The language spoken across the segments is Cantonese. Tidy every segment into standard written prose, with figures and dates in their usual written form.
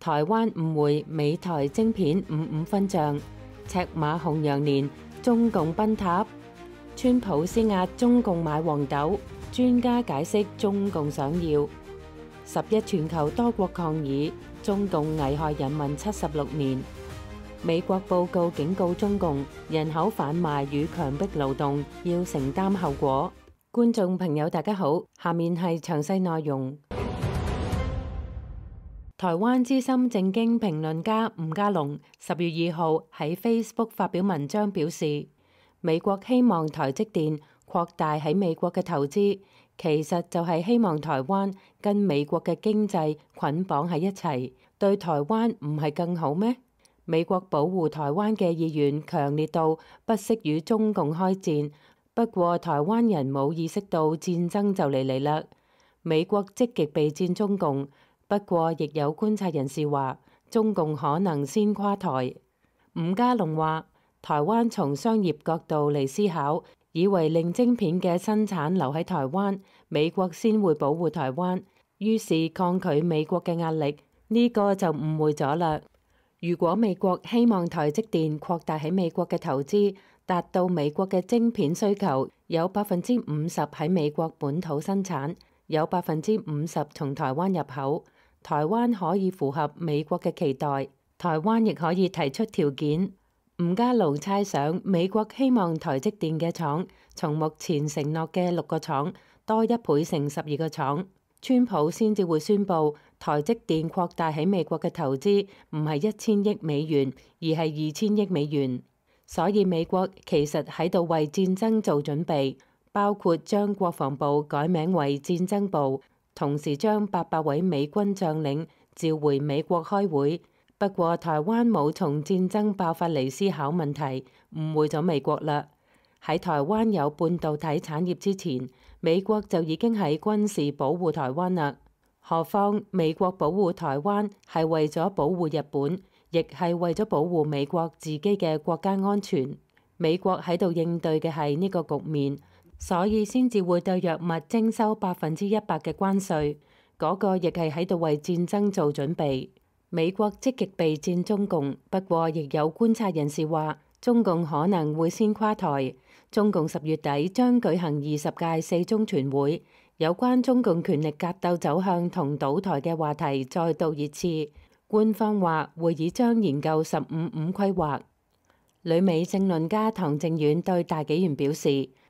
台灣誤會美台晶片55分賬，赤馬紅羊年中共崩塌，川普施壓中共買黃豆，專家解釋中共想要。11全球多國抗議，中共危害人民76年。美國報告警告中共，人口販賣與強迫勞動要承擔後果。觀眾朋友大家好，下面係詳細內容。台灣資深政經評論家吳家龍10月2號喺 Facebook 發表文章表示，美國希望台積電擴大喺美國嘅投資，其實就係希望台灣跟美國嘅經濟捆綁喺一齊，對台灣唔係更好咩？美國保護台灣嘅意願強烈到不惜與中共開戰，不過台灣人冇意識到戰爭就嚟啦。美國積極備戰中共，不過亦有觀察人士話，中共可能先垮台。吳家龍話，台灣從商業角度嚟思考，以為令晶片嘅生產留喺台灣，美國先會保護台灣，於是抗拒美國嘅壓力，呢個就誤會咗啦。如果美國希望台積電擴大喺美國嘅投資，達到美國嘅晶片需求，有50%喺美國本土生產，有50%從台灣入口，台灣可以符合美國嘅期待，台灣亦可以提出條件。吳家龍猜想，美國希望台積電嘅廠從目前承諾嘅6個廠多1倍成12個廠。川普先至會宣布台積電擴大喺美國嘅投資唔係1000億美元，而係2000億美元。所以美國其實喺度為戰爭做準備，包括將國防部改名為戰爭部，同時將800位美軍將領召回美國開會。不過台灣冇從戰爭爆發嚟思考問題，誤會咗美國啦。喺台灣有半導體產業之前，美國就已經喺軍事保護台灣啦。何況美國保護台灣係為咗保護日本，亦係為咗保護美國自己嘅國家安全。美國喺度應對嘅係呢個局面，所以先至會對藥物徵收100%嘅關稅。嗰個亦係喺度為戰爭做準備。美國積極備戰中共，不過亦有觀察人士話，中共可能會先垮台。中共10月底將舉行20屆四中全會，有關中共權力格鬥走向同倒台嘅話題再度熱刺。官方話會議將研究15-5規劃。旅美政論家唐靖遠對大紀元表示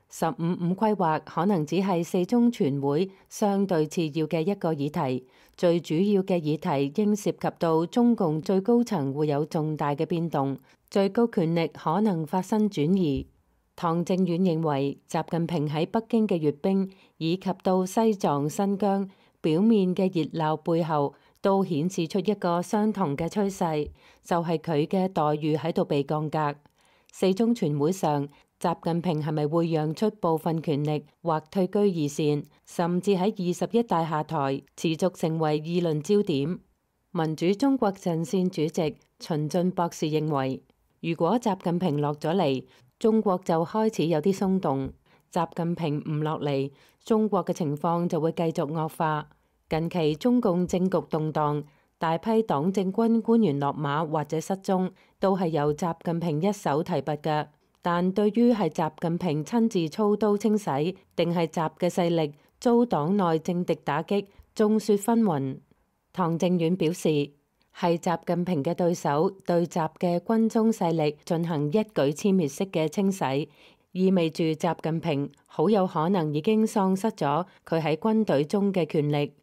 ，15-5規劃可能只係四中全會相對次要嘅一個議題，最主要嘅議題應涉及到中共最高層會有重大嘅變動，最高權力可能發生轉移。唐靖遠認為，習近平喺北京嘅閱兵以及到西藏、新疆表面嘅熱鬧背後，都顯示出一個相同嘅趨勢，就係佢嘅待遇喺度被降格。四中全會上，習近平係咪會讓出部分權力或退居二線，甚至喺21大下台，持續成為議論焦點。民主中國陣線主席秦進博士認為，如果習近平落咗嚟，中國就開始有啲鬆動；習近平唔落嚟，中國嘅情況就會繼續惡化。近期中共政局動盪，大批黨政軍官員落馬或者失蹤，都係由習近平一手提拔嘅。但對於係習近平親自操刀清洗，定係習嘅勢力遭黨內政敵打擊，眾說紛紜。唐靖遠表示，係習近平嘅對手對習嘅軍中勢力進行一舉殲滅式嘅清洗，意味住習近平好有可能已經喪失咗佢喺軍隊中嘅權力。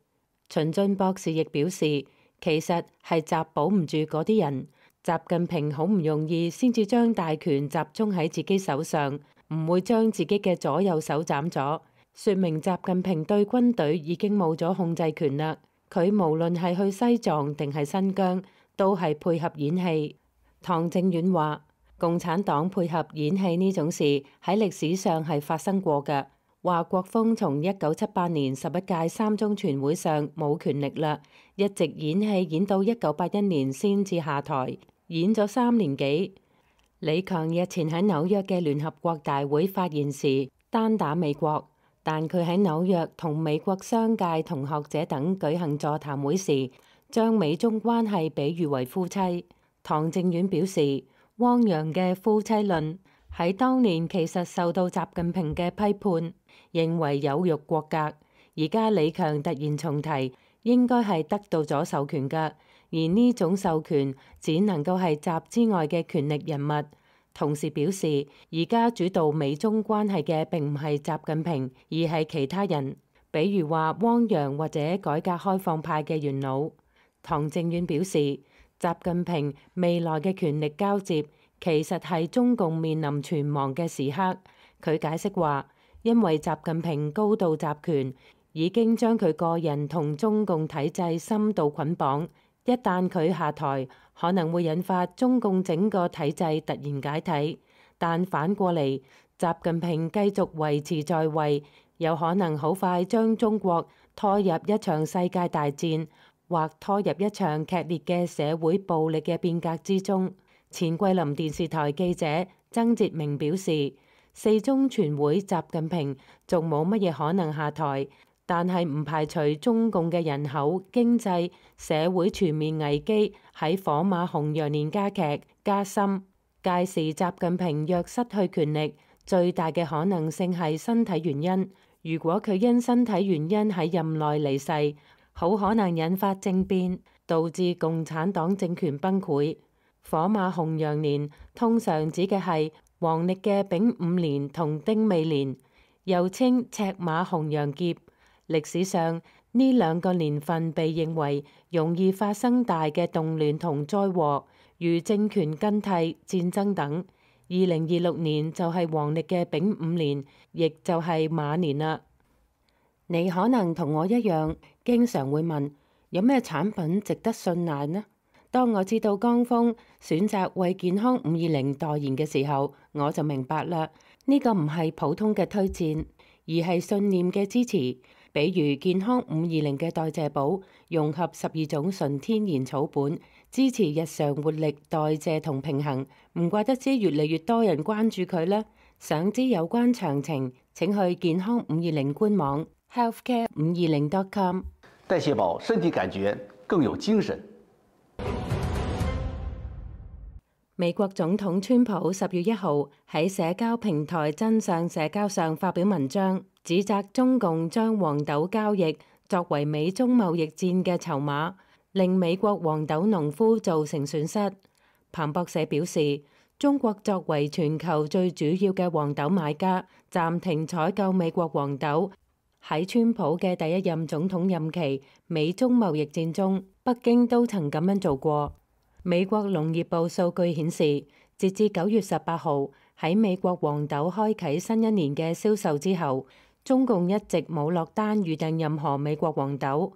秦進博士亦表示，其實係習保唔住嗰啲人，習近平好唔容易先至將大權集中喺自己手上，唔會將自己嘅左右手斬咗，說明習近平對軍隊已經冇咗控制權啦。佢無論係去西藏定係新疆，都係配合演戲。唐靖遠話，共產黨配合演戲呢種事喺歷史上係發生過嘅。話國鋒從1978年11屆三中全會上冇權力啦，一直演戲演到1981年先至下台，演咗3年幾。李強日前喺紐約嘅聯合國大會發言時，單打美國。但佢喺紐約同美國商界同學者等舉行座談會時，將美中關係比喻為夫妻。唐靖遠表示，汪洋嘅夫妻論喺當年其實受到習近平嘅批判，認為有辱國格。而家李強突然重提，應該係得到咗授權㗎，而呢種授權只能夠係習之外嘅權力人物。同時表示，而家主導美中關係嘅並唔係習近平，而係其他人，比如話汪洋或者改革開放派嘅元老。唐靖遠表示，習近平未來嘅權力交接其實係中共面臨存亡嘅時刻。佢解釋話，因為習近平高度集權，已經將佢個人同中共體制深度捆綁。一旦佢下台，可能會引發中共整個體制突然解體。但反過嚟，習近平繼續維持在位，有可能好快將中國拖入一場世界大戰，或拖入一場劇烈嘅社會暴力嘅變革之中。前桂林電視台記者曾哲明表示，四中全會習近平仲冇乜嘢可能下台。但係唔排除中共嘅人口、經濟、社會全面危機喺火馬紅羊年加劇加深。屆時習近平若失去權力，最大嘅可能性係身體原因。如果佢因身體原因喺任內離世，好可能引發政變，導致共產黨政權崩潰。火馬紅羊年通常指嘅係黃曆嘅丙午年同丁未年，又稱赤馬紅羊劫。歷史上呢兩個年份被認為容易發生大嘅動亂同災禍，如政權更替、戰爭等。2026年就係黃曆嘅丙午年，亦就係馬年啦。你可能同我一樣，經常會問有咩產品值得信賴呢？當我知道江峰選擇為健康520代言嘅時候，我就明白啦。呢個唔係普通嘅推薦，而係信念嘅支持。比如健康520嘅代謝寶，融合12種純天然草本，支持日常活力、代謝同平衡。唔怪得知越嚟越多人關注佢啦。想知有關詳情，請去健康520官網 healthcare520.com。代謝寶，身體感覺更有精神。美國總統川普10月1號喺社交平台真相社交上發表文章，指責中共將黃豆交易作為美中貿易戰嘅籌碼，令美國黃豆農夫造成損失。彭博社表示，中國作為全球最主要嘅黃豆買家，暫停採購美國黃豆。喺川普嘅第一任總統任期，美中貿易戰中，北京都曾咁樣做過。美國農業部數據顯示，截至9月18號，喺美國黃豆開啟新一年嘅銷售之後，中共一直冇落單預訂任何美國黃豆。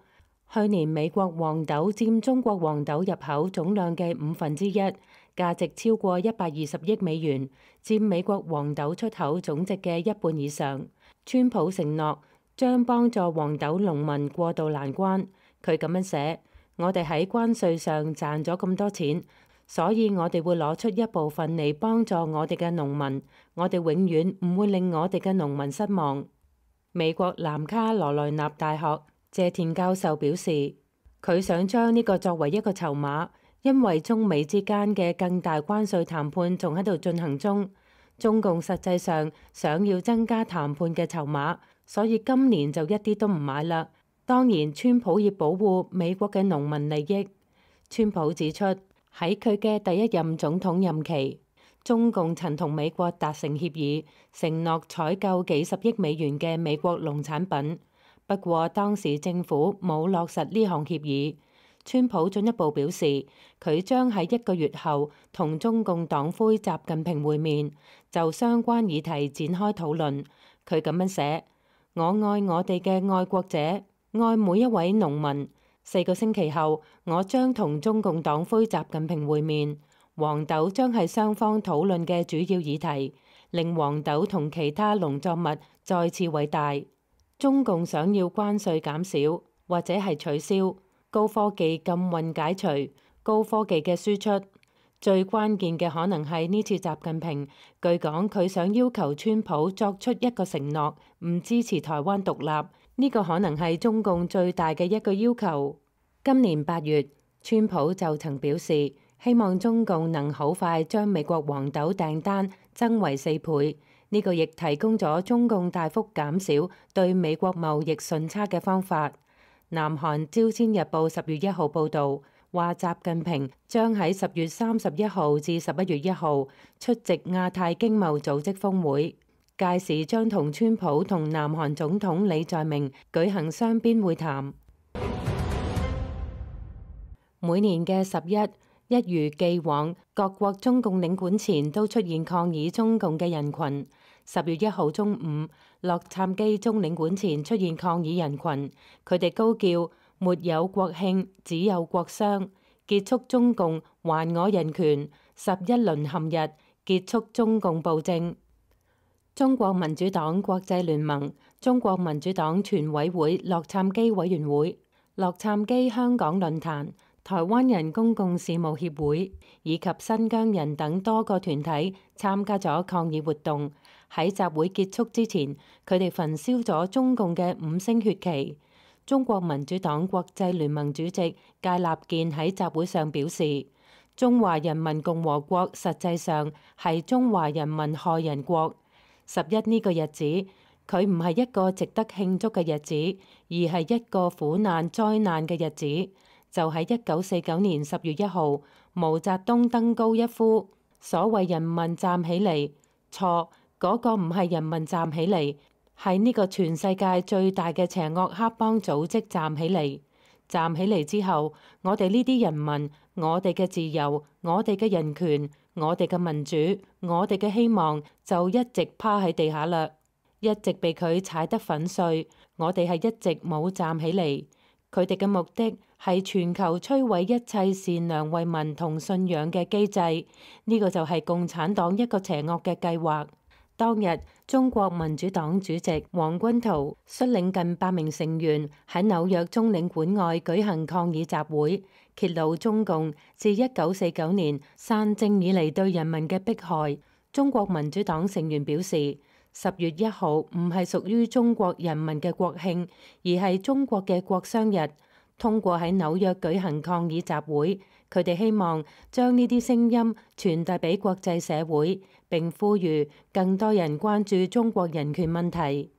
去年美國黃豆佔中國黃豆入口總量嘅1/5，價值超過120億美元，佔美國黃豆出口總值嘅一半以上。川普承諾將幫助黃豆農民過渡難關。佢咁樣寫：我哋喺關稅上賺咗咁多錢，所以我哋會攞出一部分嚟幫助我哋嘅農民。我哋永遠唔會令我哋嘅農民失望。美國南卡羅來納大學謝田教授表示，佢想將呢個作為一個籌碼，因為中美之間嘅更大關稅談判仲喺度進行中。中共實際上想要增加談判嘅籌碼，所以今年就一啲都唔買啦。當然，川普要保護美國嘅農民利益。川普指出，喺佢嘅第一任總統任期，中共曾同美國達成協議，承諾採購幾十億美元嘅美國農產品。不過當時政府冇落實呢項協議。川普進一步表示，佢將喺1個月後同中共黨魁習近平會面，就相關議題展開討論。佢咁樣寫：我愛我哋嘅愛國者，愛每一位農民。4個星期後，我將同中共黨魁習近平會面。黃豆將係雙方討論嘅主要議題，令黃豆同其他農作物再次偉大。中共想要關稅減少或者係取消，高科技禁運解除，高科技嘅輸出。最關鍵嘅可能係呢次習近平，據講佢想要求川普作出一個承諾，唔支持台灣獨立。呢個可能係中共最大嘅一個要求。今年8月，川普就曾表示，希望中共能好快將美國黃豆訂單增為4倍。呢個亦提供咗中共大幅減少對美國貿易順差嘅方法。南韓朝鮮日報10月1號報導，話習近平將喺10月31號至11月1號出席亞太經貿組織峰會，屆時將同川普同南韓總統李在明舉行雙邊會談。每年嘅11，一如既往，各國中共領館前都出現抗議中共嘅人群。10月1號中午，洛杉磯中領館前出現抗議人群，佢哋高叫沒有國慶，只有國殤，結束中共還我人權，11淪陷日，結束中共暴政。中國民主黨國際聯盟、中國民主黨全委會洛杉磯委員會、洛杉磯香港論壇、台灣人公共事務協會以及新疆人等多個團體參加咗抗議活動。喺集會結束之前，佢哋焚燒咗中共嘅5星血旗。中國民主黨國際聯盟主席芥立健喺集會上表示，中華人民共和國實際上係中華人民害人國。11呢個日子，佢唔係一個值得慶祝嘅日子，而係一個苦難災難嘅日子。就喺1949年10月1號，毛澤東登高一呼，所謂人民站起嚟，錯，嗰個唔係人民站起嚟，係呢個全世界最大嘅邪惡黑幫組織站起嚟。站起嚟之後，我哋呢啲人民，我哋嘅自由，我哋嘅人權，我哋嘅民主，我哋嘅希望，就一直趴喺地下啦，一直被佢踩得粉碎。我哋係一直冇站起嚟。佢哋嘅目的係全球摧毀一切善良為民同信仰嘅機制，呢個就係共產黨一個邪惡嘅計劃。當日，中國民主黨主席黃軍濤率領近100名成員喺紐約中領館外舉行抗議集會，揭露中共自1949年傘政以嚟對人民嘅迫害。中國民主黨成員表示，10月1號唔係屬於中國人民嘅國慶，而係中國嘅國殤日。通過喺紐約舉行抗議集會，佢哋希望將呢啲聲音傳遞俾國際社會，並呼籲更多人關注中國人權問題。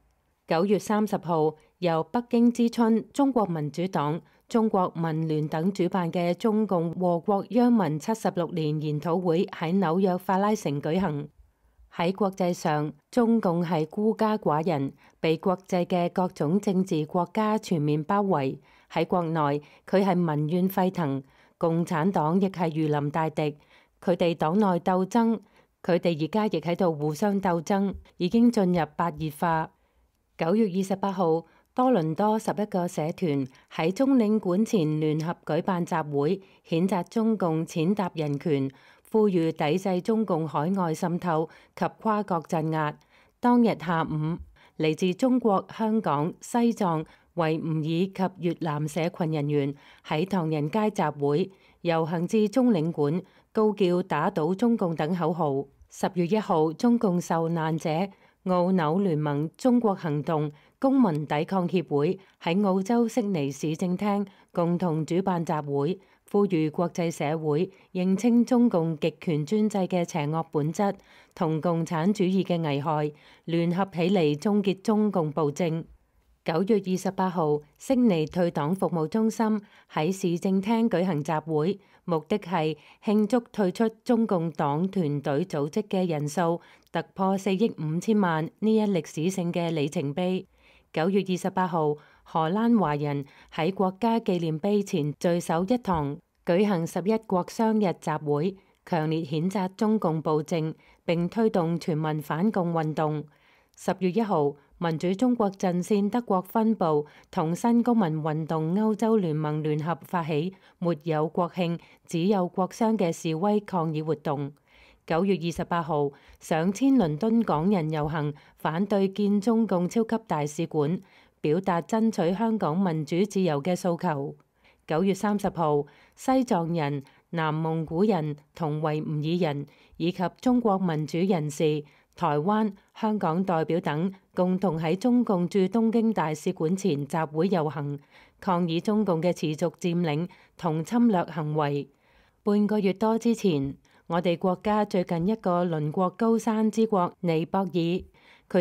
9月30號，由北京之春、中國民主黨、中國民聯等主辦嘅中共禍國殃民76年研討會喺紐約法拉盛舉行。喺國際上，中共係孤家寡人，被國際嘅各種政治國家全面包圍。喺國內，佢係民怨沸騰，共產黨亦係如臨大敵。佢哋黨內鬥爭，佢哋而家亦喺度互相鬥爭，已經進入白熱化。9月28號，多倫多11個社團喺中領館前聯合舉辦集會，譴責中共踐踏人權，呼籲抵制中共海外滲透及跨國鎮壓。當日下午，嚟自中國、香港、西藏、維吾爾及越南社群人員喺唐人街集會遊行至中領館，高叫打倒中共等口號。10月1號，中共受難者澳紐聯盟中國行動公民抵抗協會喺澳洲悉尼市政廳共同主辦集會，呼籲國際社會認清中共極權專制嘅邪惡本質同共產主義嘅危害，聯合起嚟終結中共暴政。9月28號，悉尼退黨服務中心喺市政廳舉行集會，目的係慶祝退出中共黨團隊組織嘅人數突破4億5千萬呢一歷史性嘅里程碑。9月28號，荷蘭華人喺國家紀念碑前聚首一堂，舉行11國殤日集會，強烈譴責中共暴政，並推動全民反共運動。10月1號，民主中國陣線德國分部同新公民運動歐洲聯盟聯合發起沒有國慶，只有國殤嘅示威抗議活動。9月28號，上千倫敦港人遊行反對建中共超級大使館，表達爭取香港民主自由嘅訴求。9月30號，西藏人、南蒙古人同維吾爾人以及中國民主人士台灣、香港代表等共同喺中共駐東京大使館前集會遊行，抗議中共嘅持續佔領同侵略行為。半個月多之前，我哋國家最近一個鄰國高山之國尼泊爾，佢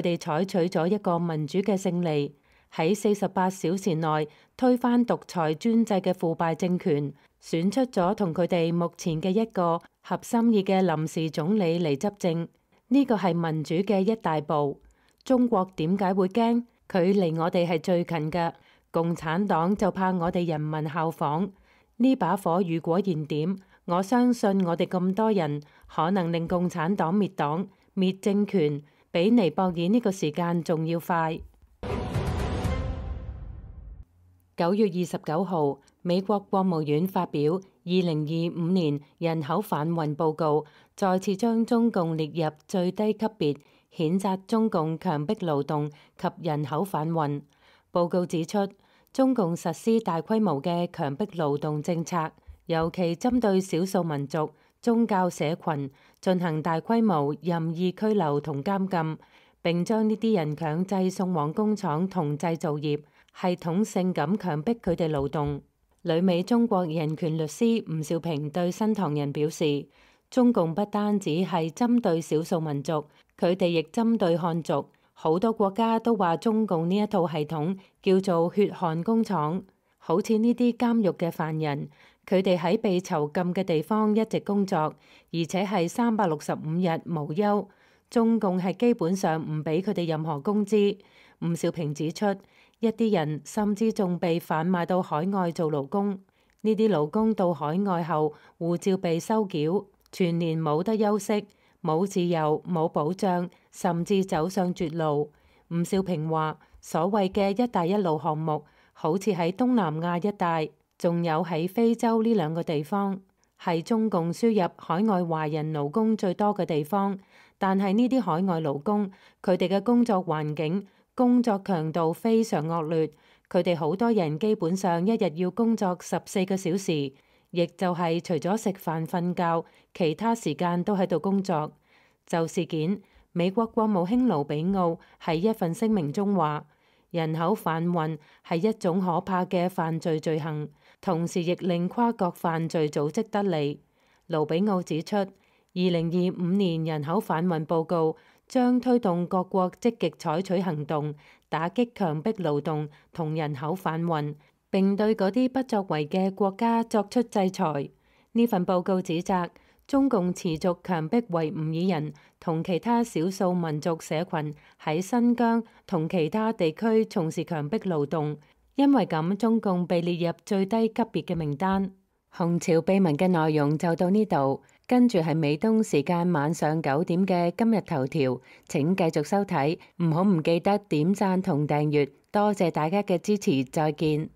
哋採取咗一個民主嘅勝利，喺48小時內推翻獨裁專制嘅腐敗政權，選出咗同佢哋目前嘅一個合心意嘅臨時總理嚟執政。呢個係民主嘅一大步。中國點解會驚？佢離我哋係最近嘅。共產黨就怕我哋人民效仿。呢把火如果燃點，我相信我哋咁多人可能令共產黨滅黨、滅政權，比尼泊爾呢個時間仲要快。9月29號，美國國務院發表2025年人口販運報告，再次將中共列入最低級別，譴責中共強迫勞動及人口販運。報告指出，中共實施大規模嘅強迫勞動政策，尤其針對少數民族、宗教社群進行大規模任意拘留同監禁，並將呢啲人強制送往工廠同製造業，系統性咁強迫佢哋勞動。旅美中國人權律師吳兆平對新唐人表示，中共不單止係針對少數民族，佢哋亦針對漢族。好多國家都話中共呢一套系統叫做血汗工廠。好似呢啲監獄嘅犯人，佢哋喺被囚禁嘅地方一直工作，而且係365日無休。中共係基本上唔俾佢哋任何工資。吳兆平指出，一啲人甚至仲被販賣到海外做勞工。呢啲勞工到海外後，護照被收繳，全年冇得休息，冇自由，冇保障，甚至走上絕路。吳兆平話，所謂嘅一帶一路項目，好似喺東南亞一帶，仲有喺非洲呢兩個地方，係中共輸入海外華人勞工最多嘅地方。但係呢啲海外勞工，佢哋嘅工作環境、工作強度非常惡劣，佢哋好多人基本上一日要工作14個小時，亦就係除咗食飯瞓覺，其他時間都喺度工作。就事件，美國國務卿盧比奧喺一份聲明中話，人口販運係一種可怕嘅犯罪罪行，同時亦令跨國犯罪組織得利。盧比奧指出，2025年人口販運報告將推動各國積極採取行動，打擊強迫勞動同人口販運，並對嗰啲不作為嘅國家作出制裁。呢份報告指責中共持續強迫維吾爾人同其他少數民族社群喺新疆同其他地區從事強迫勞動，因為咁中共被列入最低級別嘅名單。紅潮秘聞嘅內容就到呢度，跟住係美東時間晚上9點嘅今日頭條，請繼續收睇，唔記得點讚同訂閱，多謝大家嘅支持，再見。